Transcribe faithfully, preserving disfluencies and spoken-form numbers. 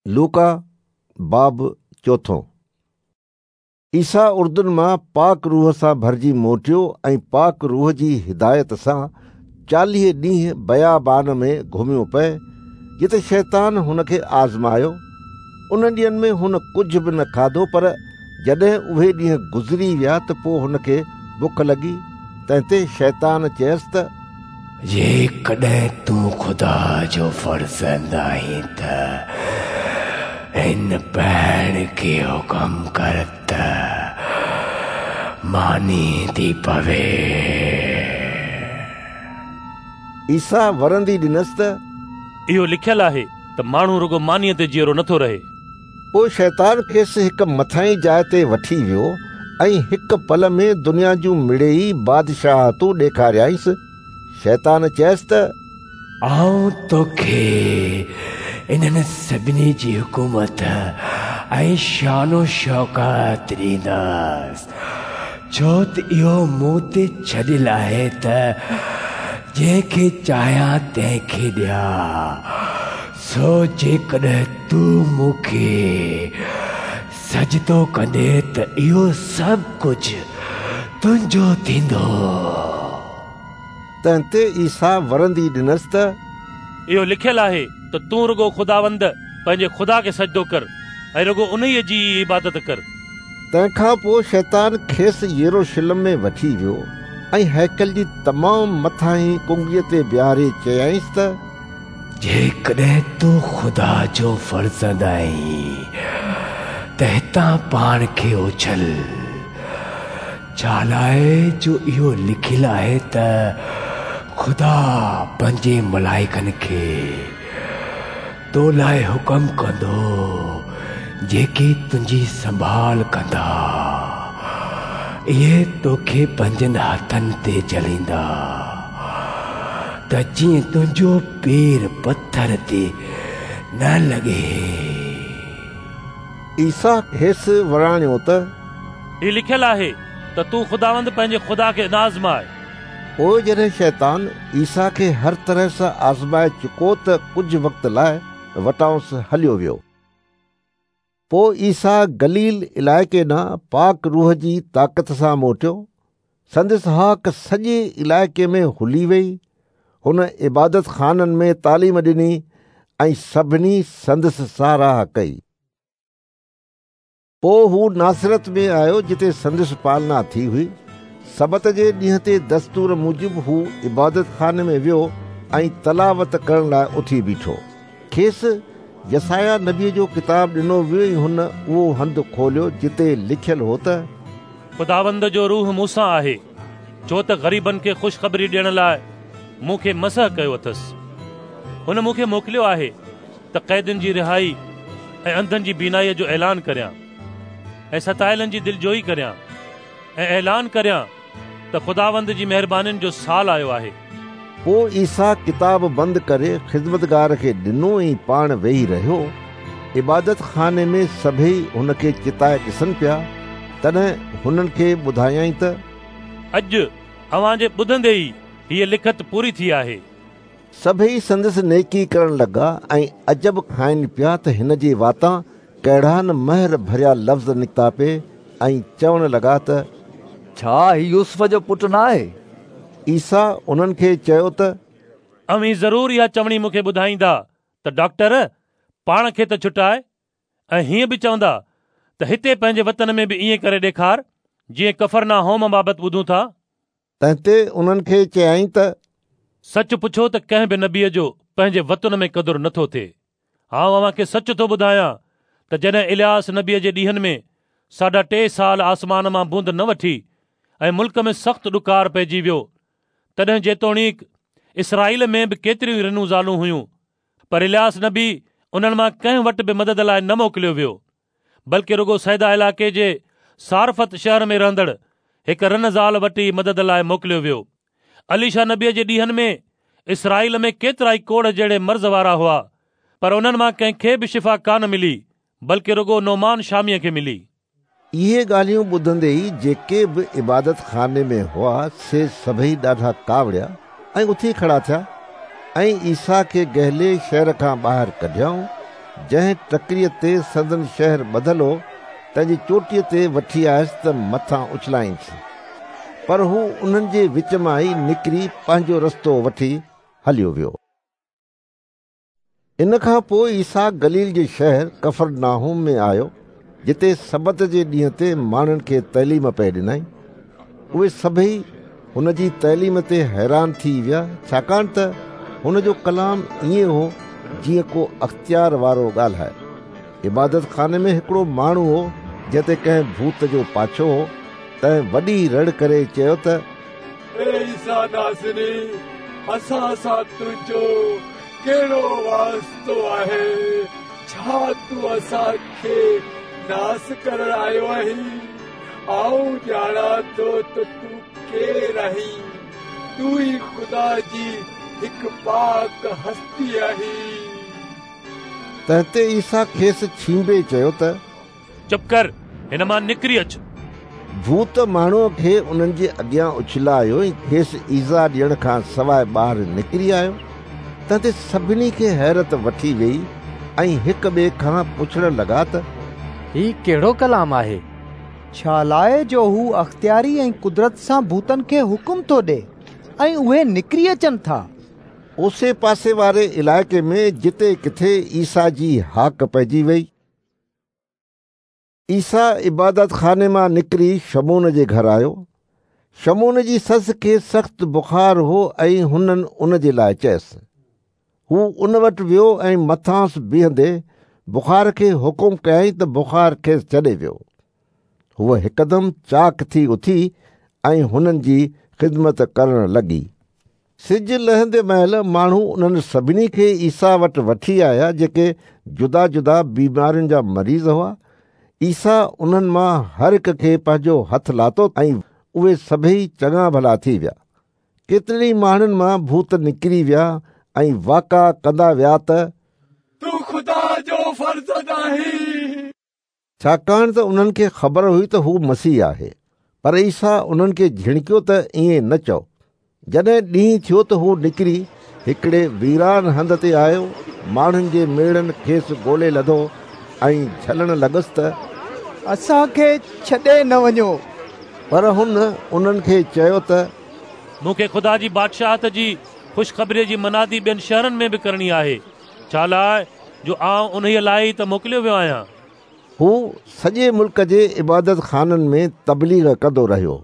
लूका बाब चोथों। ईसा उर्दुन मां पाक रूह सां भरिजी मोटियो ऐं पाक रूह जी हिदायत सां चालीह ॾींहं बयाबान में घुमियो पए, जिते शैतान हुनखे आज़मायो। उन ॾींहंनि में हुन कुझु बि न खाधो, पर जॾहिं उहे ॾींहं गुज़री विया त पोइ हुनखे बुख लॻी। तंहिं ते शैतान चयसि त जेकॾहिं तूं ख़ुदा जो फर्ज़ंद आहीं त हिन पहाड़ खे हुकम कर त मानी थी पवे। ईसा वरंदी ॾिनसि त इहो लिखियलु आहे त माण्हू रुगो मानीअ ते जीअरो नथो रहे। पोइ शैतान खेसि हिकु मथाहीं जाइ ते वठी वियो ऐं हिकु पल में दुनिया जूं मिड़ेई बादशाहतूं ॾेखारियाईंसि। शैतान चयसि त आउं तोखे इन्हनि सभिनी जी हुकूमत ऐं शानो शौकत ॾींदसि, छो त इहो मूं ते छॾियल आहे त जंहिंखे चाहियां तंहिंखे ॾियां। सो जेकॾहिं तूं मूंखे सजदो कंदे त इहो सभु कुझु तुंहिंजो थींदो। तंहिं ते ईसा वरंदी ॾिनसि त इहो लिखियलु आहे त तूं रुगो ख़ुदावंद पंहिंजे ख़ुदा खे सजदो कर ऐं रुगो उन्हीअ जी इबादत कर। तंहिंखां पोइ शैतान खेसि यरूशलेम में वठी वियो ऐं हैकल जी तमामु मथाहीं कुंगीअ ते बीहारे चयाईंसि त जेकॾहिं तूं ख़ुदा जो फर्ज़ंद आहीं त हितां पाण खे उछल, छा लाइ जो इहो लिखियलु आहे त ख़ुदा पंहिंजे मलाइकनि खे तो लाइ हुकम कंदो जेके तुंहिंजी संभाल कंदा, इहे तोखे पंहिंजनि हथनि ते झलींदा त जीअं तुंहिंजो पेर पथर ते न लॻे। ईसा खेसि वराणियो त हीउ लिखियलु आहे त तूं ख़ुदावंद पंहिंजे ख़ुदा खे न आज़माए। पोइ जॾहिं शैतान ईसा खे हर तरह सां आज़माए चुको त कुझु वक़्त लाइ वटांसि हलियो वियो। पोइ ईसा गलील इलाइक़े ॾांहुं पाक रूह जी ताक़त सां मोटियो। संदसि हाक सॼे इलाइक़े में हुली वई। हुन इबादत ख़ाननि में तालीम ॾिनी ऐं सभिनी संदसि साराह कई। पोइ हू नासरत में आयो जिते संदसि पालना थी हुई। सबत जे ॾींहं ते दस्तूर मूजिबि हू इबादत खाने में वियो ऐं तलावत करण लाइ उथी बीठो। खेसि यसाया नबीअ जो किताब ॾिनो वियो ऐं हुन उहो हंधु खोलियो जिते लिखियलु हो त ख़ुदावंद जो रूह मूंसां आहे, छो त ग़रीबनि खे ख़ुशख़बरी ॾियण लाइ मूंखे मसह कयो अथसि। हुन मूंखे मोकिलियो आहे त क़ैदियुनि जी रिहाई ऐं अंधनि जी बीनाईअ जो ऐलान करियां ऐं सतायलनि जी दिलजोई करियां ऐं ऐलान करियां त ख़ुदावंद जी महिरबानियुनि जो साल आयो आहे। पोइ ईसा किताब बंदि करे ख़िदमतगार खे ॾिनो ऐं पाण वेही रहियो। इबादत खाने में सभई हुनखे चिताए ॾिसनि पिया। तॾहिं हुननि खे ॿुधायाईं त अॼु अव्हांजे ॿुधंदे ई हीअ लिखत पूरी थी आहे। सभई संदसि नेकी करण लॻा ऐं अजब खाइनि पिया त हिन जे वातां कहिड़ा न महर भरिया लफ़्ज़ निकिता पे ऐं चवण लॻा त छा ही यूसुफ जो पुटु न आहे? ईसा उन्हनि खे चयो त अव्हीं ज़रूर इहा चवणी मूंखे ॿुधाईंदा त डॉक्टर पाण खे त छुटाए, ऐं हीअं बि चवंदा त हिते पंहिंजे वतन में बि ईअं करे ॾेखार जीअं कफरनाहोम बाबति ॿुधूं था। तंहिं ते उन्हनि खे चयाईं त सच पुछो त कंहिं बि नबीअ जो पंहिंजे वतन में क़दुरु नथो थिए। आउं अव्हां खे सच थो ॿुधायां त जॾहिं इलियास नबीअ जे ॾींहंनि में साढा टे साल आसमान मां बूंद न वठी ऐं मुल्क में सख़्तु ॾुकार पइजी वियो, तॾहिं जेतोणीक इसराईल में बि केतिरियूं रनूं ज़ालूं हुयूं, पर इलियास नबी उन्हनि मां कंहिं वटि बि मदद लाइ न मोकिलियो वियो, बल्कि रुगो सैदा इलाइक़े जे सारफत शहर में रहंदड़ हिकु रन ज़ाल वटि ई मदद लाइ मोकिलियो वियो। अलीशा नबीअ जे ॾींहंनि में इसराईल में केतिरा ई कोढ़ जहिड़े मर्ज़ वारा हुआ, पर उन्हनि मां कंहिंखे बि शिफ़ा कान मिली, बल्कि रुगो नोमान शामीअ खे मिली। इहे ॻाल्हियूं ॿुधंदे ई जेके बि इबादत खाने में हुआ से सभई ॾाढा कावड़िया ऐं उथी खड़ा थिया ऐं ईसा खे गहले शहर खां ॿाहिरि कढियऊं। جنهن ٽڪريءَ تي سندن شهر ٻڌل هو تنهن جي چوٽيءَ تي وٺي آيس ته مٿان اڇلائينس. پر هو انهن جي وچ مان ئي نڪري پنهنجو رستو وٺي هليو ويو. ان کان پوءِ عيسيٰ گليل جي شهر ڪفرناحوم ۾ آيو، جتي سبت جي ڏينهن تي ماڻهن کي تعليم پئي ڏنائين. اهي سڀئي هن جي تعليم تي حيران ٿي ويا، ڇاڪاڻ ته هن جو ڪلام ائين هو جيئن ڪو اختيار وارو ڳالهائي. عبادت خاني ۾ هڪڙو ماڻهو هو جنهن تي ڪنهن ڀوت جو پاڇو هو، تنهن وڏي رڙ ڪري چيو ته اي عيسيٰ ناصري، اسان سان تنهنجو ڪهڙو واسطو آهي؟ ڇا تون اسان کي ناس ڪرڻ آيو آهين؟ آئون ڄاڻان ٿو ته تون ڪير آهين، تون ئي خدا جي هڪ پاڪ هستي آهين. تنهن تي عيسيٰ کيس ڇينڀي چيو ته چپ ڪر، هن مان نڪري اچ. ڀوت ماڻهوءَ کي انهن جي اڳيان اڇلايو ۽ کيس ايذاءُ ڏيڻ کان سواءِ ٻاهر نڪري آيو. تنهن تي سڀني کي حيرت وٺي ويئي ۽ هڪ ٻئي کان پڇڻ لڳا ته هي ڪهڙو ڪلام آهي؟ ڇا لاءِ جو هو اختياري ۽ قدرت سان ڀوتن کي حڪم ٿو ڏئي ۽ اهي نڪري اچن ٿا. اوسي پاسي واري علائقي ۾ جتي ڪٿي عيسيٰ جي هاڪ پئجي وئي. عيسيٰ عبادت خاني مان نڪري شمعون جي گهر آيو. شمعون جي سس کي سخت بخار هو ۽ هنن ان جي لاءِ چيس. هو ان وٽ ويو ۽ مٿانس بيهندي بخار کي حڪم ڪيائين ته بخار کيس ڇڏي ويو. هوءَ هڪدم چاڪ ٿي اٿي ۽ هنن جي خدمت ڪرڻ لڳي. سج لهندي مهل ماڻهو انهن سڀني کي عيسيٰ وٽ وٺي آيا جيڪي جدا جدا بيمارين جا مريض هئا. عيسيٰ انهن مان هر هڪ کي پنهنجو هٿ لاتو ۽ اهي سڀئي چڱا ڀلا ٿي ويا. ڪيترن ئي ماڻهن مان ڀوت نڪري ويا ۽ واڪا ڪندا ويا ته تون خدا جو فرزند آهين. ڇاڪاڻ ته انهن کي خبر هئي ته هو مسيح آهي. پر عيسيٰ انهن کي جهڻڪيو ته ائين نه چئو. جڏهن ڏينهن ٿيو ته هو نڪري هڪڙي ويران هنڌ تي آيو. ماڻهن جي ميڙن کيس ڳولي لڌو ۽ جهلڻ لڳس ته اسان کي ڇڏي نه وڃو. پر هن انهن کي چيو ته مون کي خدا جي بادشاهت جي خوشخبريءَ جي منادي ٻين شهرن ۾ به ڪرڻي آهي، ڇا لاءِ جو آئون انهيءَ لاءِ ئي ته موڪليو ويو آهيان. هو سڄي ملڪ جي عبادت خانن ۾ تبليغ ڪندو رهيو.